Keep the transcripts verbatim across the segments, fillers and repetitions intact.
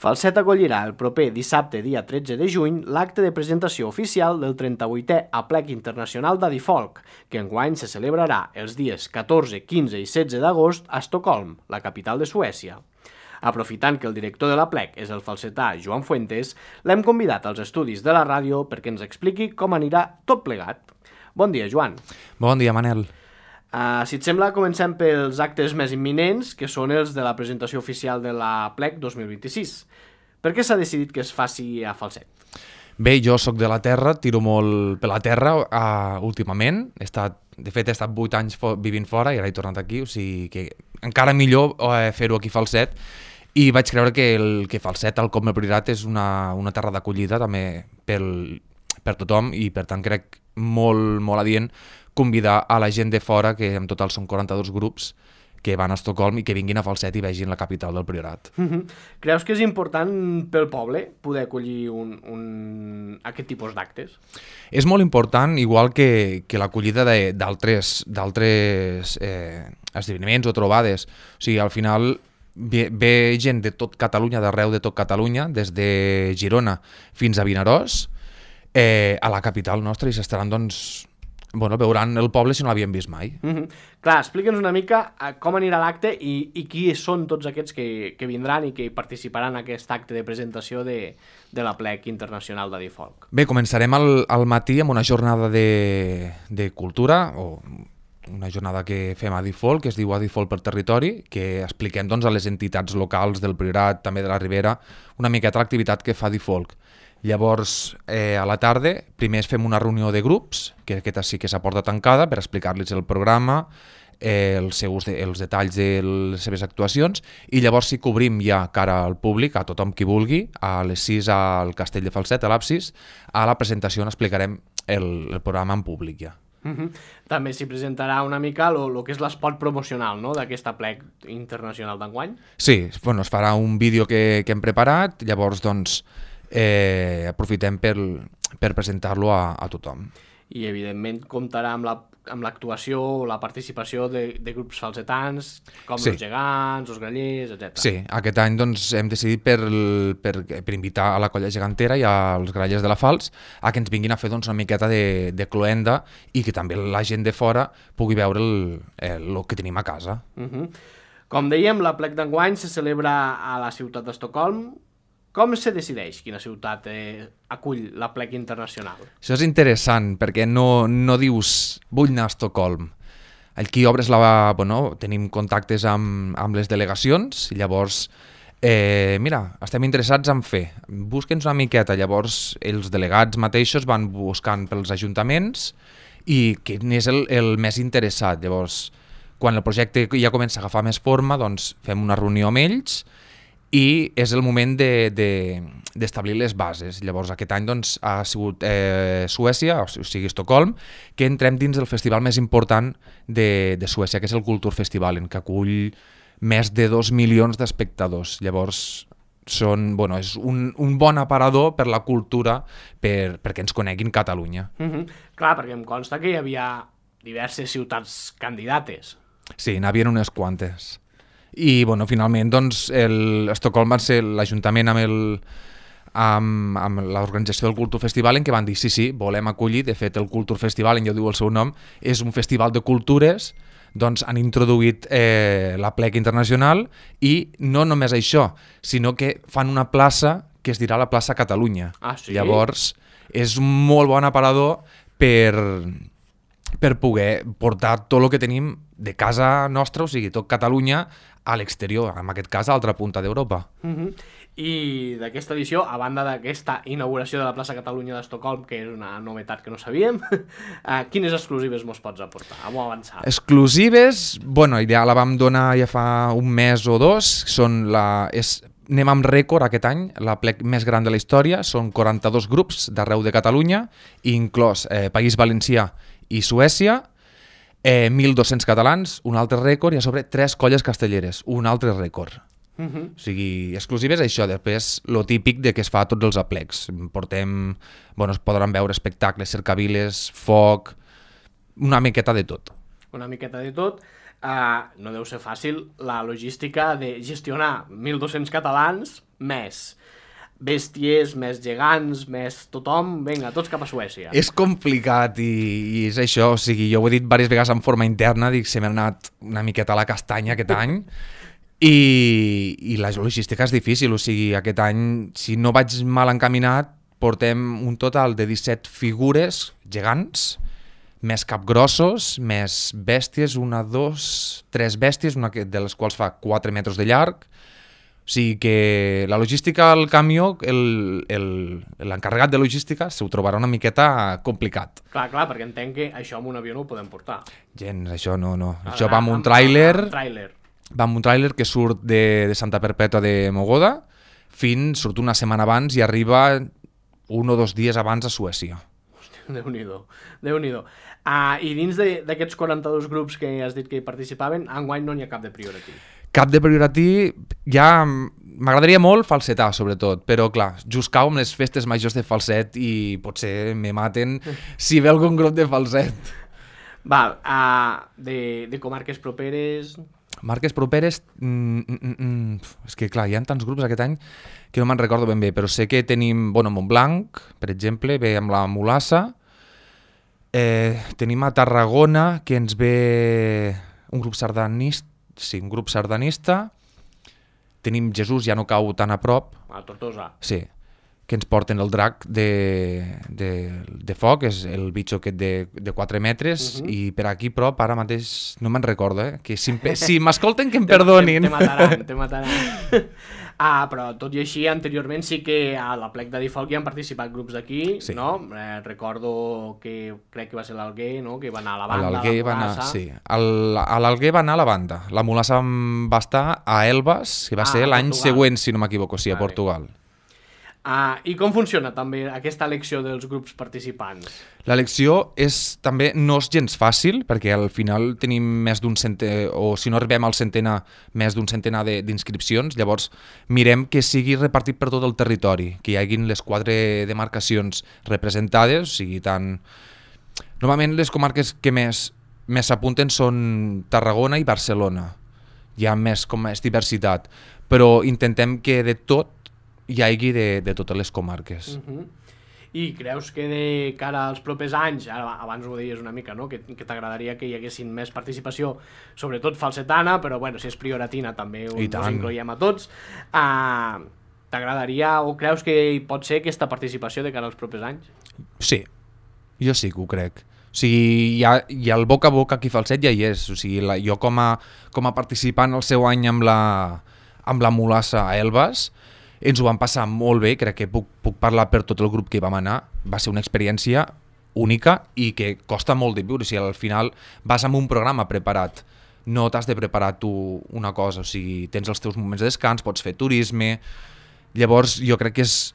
Falset acollirà el proper dissabte, dia tretze de juny, l'acte de presentació oficial del trenta-vuitè Aplec Internacional d'Adifolk, que enguany se celebrarà els dies catorze, quinze i setze d'agost a Estocolm, la capital de Suècia. Aprofitant que el director de l'Aplec és el falsetà Joan Fuentes, l'hem convidat als estudis de la ràdio perquè ens expliqui com anirà tot plegat. Bon dia, Joan. Bon dia, Manel. Uh, si et sembla, comencem pels actes més imminents, que són els de la presentació oficial de l'Aplec dos mil vint-i-sis. Per què s'ha decidit que es faci a Falset? Bé, jo sóc de la terra, tiro molt per la terra uh, últimament. He estat, de fet, he estat vuit anys fo- vivint fora i ara he tornat aquí, o sigui que encara millor uh, fer-ho aquí a Falset. I vaig creure que, el, que Falset, al com el Priorat, és una, una terra d'acollida també pel, per tothom i per tant crec molt, molt adient convidar a la gent de fora, que en total són quaranta-dos grups, que van a Estocolm i que vinguin a Falset i vegin la capital del Priorat. Uh-huh. Creus que és important pel poble poder acollir un, un... aquest tipus d'actes? És molt important, igual que, que l'acollida de, d'altres, d'altres eh, esdeveniments o trobades. O sigui, al final ve, ve gent de tot Catalunya, d'arreu de tot Catalunya, des de Girona fins a Vinaròs, eh, a la capital nostra, i s'estaran, doncs, bueno, veuran el poble si no l'havien vist mai. Uh-huh. Clar, explica'ns una mica com anirà l'acte i, i qui són tots aquests que, que vindran i que participaran en aquest acte de presentació de, de l'Aplec Internacional d'Adifolk. Bé, començarem al, al matí amb una jornada de, de cultura, o una jornada que fem a Adifolk, que es diu Adifolk per territori, que expliquem, doncs, a les entitats locals del Priorat, també de la Ribera, una miqueta l'activitat que fa Adifolk. Llavors, eh, a la tarda, primer fem una reunió de grups, que aquesta sí que s'ha porta tancada, per explicar-los el programa, eh, els, seus de, els detalls de les seves actuacions, i llavors sí que obrim ja cara al públic, a tothom qui vulgui, a les sis al Castell de Falset, a l'Absis, a la presentació on explicarem el, el programa en públic ja. Uh-huh. També s'hi presentarà una mica el que és l'espot promocional, no?, d'aquest Aplec Internacional d'enguany. Sí, bueno, es farà un vídeo que, que hem preparat, llavors, doncs, Eh, aprofitem per, per presentar-lo a, a tothom. I evidentment comptarà amb la, amb l'actuació o la participació de, de grups falsetans, com sí. Els gegants, els grallers, etcètera. Sí, aquest any, doncs, hem decidit per, per, per invitar a la colla gegantera i als grallers de la Fals a que ens vinguin a fer, doncs, una miqueta de, de cloenda i que també la gent de fora pugui veure el, el, el que tenim a casa. Uh-huh. Com dèiem, l'Aplec d'enguany se celebra a la ciutat d'Estocolm. Com se decideix quina ciutat eh, acull l'Aplec Internacional? Això és interessant, perquè no, no dius vull anar a Estocolm. Aquí obres la... Bueno, tenim contactes amb, amb les delegacions, i llavors, eh, mira, estem interessats en fer. Busque'ns una miqueta. Llavors, els delegats mateixos van buscant pels ajuntaments i quin és el, el més interessat. Llavors, quan el projecte ja comença a agafar més forma, doncs fem una reunió amb ells, i és el moment de, de, d'establir les bases. Llavors aquest any, doncs, ha sigut eh, Suècia, o sigui Estocolm, que entrem dins del festival més important de, de Suècia, que és el Kulturfestivalen, que acull més de dos milions d'espectadors. Llavors són, bueno, és un, un bon aparador per la cultura, per, perquè ens coneguin Catalunya. Mm-hmm. Clar, perquè em consta que hi havia diverses ciutats candidates. Sí, n'havien unes quantes. I, bueno, finalment, doncs, el Estocolm va ser l'Ajuntament amb el amb, amb l'organització del Kulturfestivalen, que van dir sí, sí, volem acollir. De fet, el Kulturfestivalen, ja ho diu el seu nom, és un festival de cultures. Doncs han introduït eh, l'Aplec Internacional, i no només això, sinó que fan una plaça que es dirà la plaça Catalunya. Ah, sí? Llavors, és un molt bon aparador per... per poder portar tot el que tenim de casa nostra, o sigui, tot Catalunya, a l'exterior, en aquest cas a l'altra punta d'Europa. Uh-huh. I d'aquesta edició, a banda d'aquesta inauguració de la plaça Catalunya d'Estocolm, que és una novetat que no sabíem, uh, quines exclusives mos pots aportar? Vamos a avançar. Exclusives, bueno, ja la vam donar ja fa un mes o dos, són la... És... Anem amb rècord aquest any, l'Aplec més gran de la història, són quaranta-dos grups d'arreu de Catalunya, inclòs eh, País Valencià i Suècia, eh, mil dos-cents catalans, un altre rècord, i a sobre tres colles castelleres, un altre rècord. Uh-huh. O sigui, exclusives això, després lo típic de que es fa a tots els aplecs. Portem, bueno, es podran veure espectacles, cercaviles, foc, una miqueta de tot. Una miqueta de tot. uh, no deu ser fàcil la logística de gestionar mil dos-cents catalans més bèsties, més gegants, més tothom, vinga, tots cap a Suècia. És complicat i, i és això, o sigui, jo ho he dit diverses vegades en forma interna, dic, se m'ha anat una miqueta a la castanya aquest any i, i la logística és difícil, o sigui, aquest any, si no vaig mal encaminat, portem un total de disset figures gegants, més capgrossos, més bèsties, una, dos, tres bèsties, una de les quals fa quatre metres de llarg. O sigui que la logística al camió, l'encarregat de logística s'ho trobarà una miqueta complicat. Clar, clar, perquè entenc que això amb un avió no ho podem portar. Gens, això no, no. Ah, això va amb un tràiler, va amb un tràiler que surt de, de Santa Perpètua de Mogoda, fins, surt una setmana abans i arriba un o dos dies abans a Suècia. Hòstia, Déu-n'hi-do, Déu-n'hi-do. Ah, I dins d'aquests quaranta-dos grups que has dit que hi participaven, enguany no n'hi ha cap de priority. Cap de priority, ja m'agradaria molt falsetar, sobretot, però clar, just cau amb les festes majors de falset i potser me maten si ve algun grup de falset. Val, uh, de, de comarques properes... Marques properes, mm, mm, mm, és que clar, hi ha tants grups aquest any que no me'n recordo ben bé, però sé que tenim, bueno, Montblanc, per exemple, ve amb la Mulassa, eh, tenim a Tarragona, que ens ve un grup sardanista, sí, un grup sardanista, tenim Jesús, ja no cau tan a prop. A Tortosa. Sí, que ens porten el drac de, de, de foc, és el bitxo aquest de, de quatre metres, uh -huh. i per aquí prop, ara mateix, no me'n recordo, eh? Que si, si m'escolten que em perdonin. Te, te mataran, te mataran. Ah, però tot i així, anteriorment sí que a la plec de Difolc hi han participat grups d'aquí, sí. No? Eh, recordo que crec que va ser l'Alguer, no? Que va anar a la banda, a la Mulassa. Sí, el, a l'Alguer va anar a la banda. La Mulassa va estar a Elbas, que va ah, ser l'any següent, si no m'equivoco, sí, vale. A Portugal. Ah, I com funciona també aquesta elecció dels grups participants? L'elecció és també no és gens fàcil, perquè al final tenim més d'un centenar, o si no arribem al centenar, més d'un centenar d'inscripcions, llavors mirem que sigui repartit per tot el territori, que hi haguin les quatre demarcacions representades, o sigui, tant... Normalment les comarques que més més s'apunten són Tarragona i Barcelona, hi ha més, com més diversitat, però intentem que de tot hi hagi de, de totes les comarques. Uh-huh. I creus que de cara als propers anys, ara, abans ho deies una mica, no? que, que t'agradaria que hi haguessin més participació, sobretot falsetana, però bueno, si és prioratina també ho, us incloiem a tots, uh, t'agradaria o creus que hi pot ser aquesta participació de cara als propers anys? Sí, jo sí que ho crec. O sigui, hi ha, hi ha el boca a boca aquí falset ja hi és, o sigui, la, jo com a, com a participant el seu any amb la, amb la Mulassa a Elbas, ens ho vam passar molt bé, crec que puc, puc parlar per tot el grup que hi vam anar, va ser una experiència única i que costa molt de viure, o sigui, al final vas amb un programa preparat, no t'has de preparar tu una cosa, o sigui, tens els teus moments de descans, pots fer turisme, llavors jo crec que, és,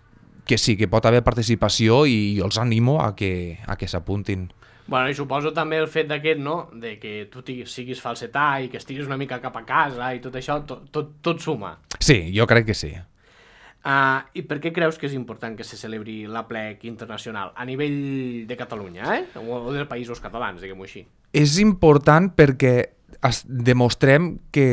que sí, que pot haver participació i jo els animo a que, a que s'apuntin. Bueno, i suposo també el fet d'aquest, no?, de que tu siguis falsetà i que estiguis una mica cap a casa i tot això, tot, tot, tot suma. Sí, jo crec que sí. Uh, I per què creus que és important que se celebri la plec internacional a nivell de Catalunya, eh? O dels països catalans, diguem-ho així? És important perquè es demostrem que,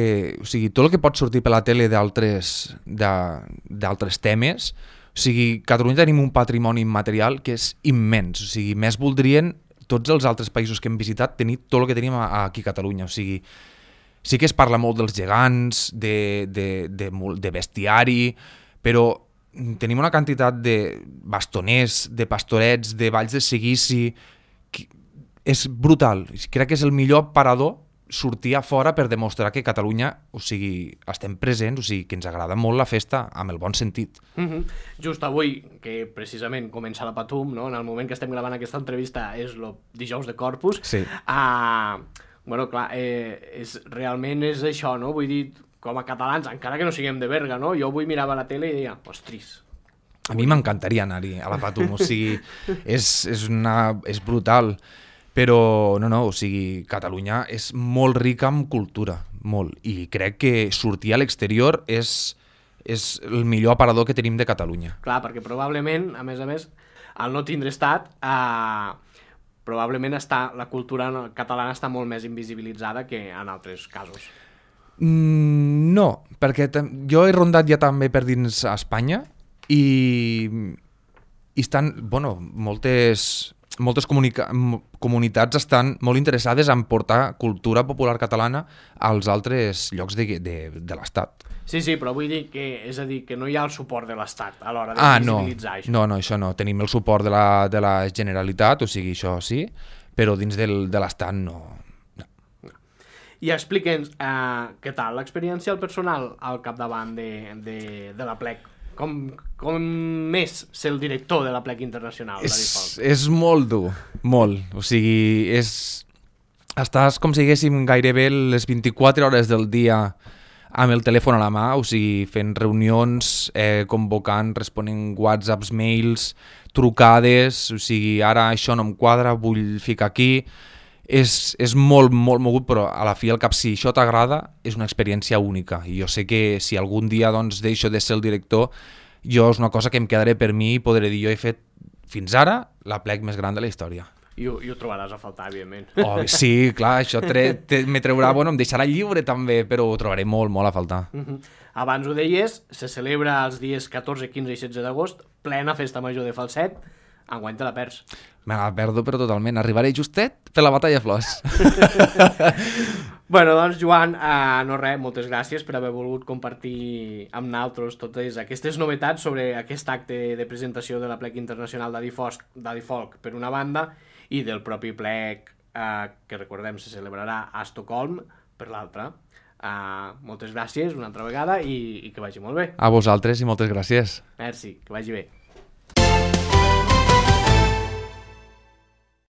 o sigui, tot el que pot sortir per la tele d'altres d'altres temes, o sigui, Catalunya tenim un patrimoni immaterial que és immens, o sigui, més voldrien tots els altres països que hem visitat tenir tot el que tenim aquí a Catalunya, o sigui, sí que es parla molt dels gegants, de, de, de, de bestiari, però tenim una quantitat de bastoners, de pastorets, de valls de seguici, que és brutal. Crec que és el millor parador sortir a fora per demostrar que Catalunya, o sigui, estem presents, o sigui, que ens agrada molt la festa amb el bon sentit. Mm-hmm. Just avui, que precisament comença la Patum, no? En el moment que estem gravant aquesta entrevista és el dijous de Corpus, sí. uh, bueno, clar, eh, és, realment és això, no? Vull dir, com a catalans, encara que no siguem de Berga, no? Jo avui mirava la tele i deia, ostris. A mi m'encantaria anar-hi a la Patum, o sigui, és, és, una, és brutal, però no, no, o sigui, Catalunya és molt rica en cultura, molt, i crec que sortir a l'exterior és, és el millor aparador que tenim de Catalunya. Clar, perquè probablement, a més a més, al no tindre estat, eh, probablement està, la cultura catalana està molt més invisibilitzada que en altres casos. Mm, no, perquè jo he rondat ja també per dins Espanya i, i estan, bueno, moltes... moltes comunica- comunitats estan molt interessades en portar cultura popular catalana als altres llocs de, de, de l'Estat. Sí, sí, però vull dir que, és a dir, que no hi ha el suport de l'Estat a l'hora de ah, visibilitzar no. això. No, no, això no. Tenim el suport de la, de la Generalitat, o sigui, això sí, però dins del, de l'Estat no. no. I explica'ns eh, què tal l'experiència al personal al capdavant de, de, de la Plec. Com, com és ser el director de la Plec Internacional? És, és molt dur, molt. O sigui, és... estàs com si diguéssim gairebé les vint-i-quatre hores del dia amb el telèfon a la mà, o sigui, fent reunions, eh, convocant, responent whatsapps, mails, trucades, o sigui, ara això no em quadra, vull ficar aquí... És, és molt, molt mogut, però a la fi al cap, si això t'agrada, és una experiència única. I jo sé que si algun dia doncs, deixo de ser el director, jo és una cosa que em quedaré per mi i podré dir, jo he fet fins ara la Plec més gran de la història. I ho, i ho trobaràs a faltar, evidentment. Oh, sí, clar, això tre, te, me treurà, bueno, em deixarà lliure també, però ho trobaré molt, molt a faltar. Uh-huh. Abans ho deies, se celebra els dies catorze, quinze i setze d'agost, plena festa major de Falset, enguany te la perds. Me la perdo, però totalment. Arribaré justet per la batalla flors. Bueno, doncs, Joan, eh, no res, moltes gràcies per haver volgut compartir amb nosaltres totes aquestes novetats sobre aquest acte de presentació de la Plec Internacional d'Adifolk per una banda i del propi Plec, eh, que recordem se celebrarà a Estocolm per l'altra. Eh, moltes gràcies una altra vegada i, i que vagi molt bé. A vosaltres i moltes gràcies. Merci, que vagi bé.